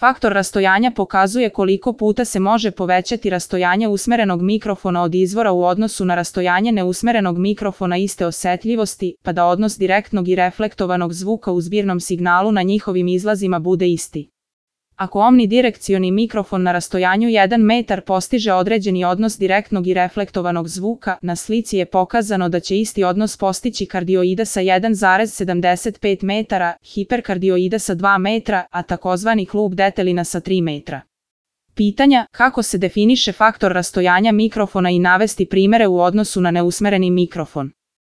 Faktor rastojanja pokazuje koliko puta se može povećati rastojanje usmerenog mikrofona od izvora u odnosu na rastojanje neusmerenog mikrofona iste osetljivosti, pa da odnos direktnog i reflektovanog zvuka u zbirnom signalu na njihovim izlazima bude isti. Ako omnidirekcioni mikrofon na rastojanju 1 metar postiže određeni odnos direktnog i reflektovanog zvuka, na slici je pokazano da će isti odnos postići kardioida sa 1,75 metara, hiperkardioida sa 2 metra, a takozvani klub detelina sa 3 metra. Pitanja: kako se definiše faktor rastojanja mikrofona i navesti primere u odnosu na neusmereni mikrofon?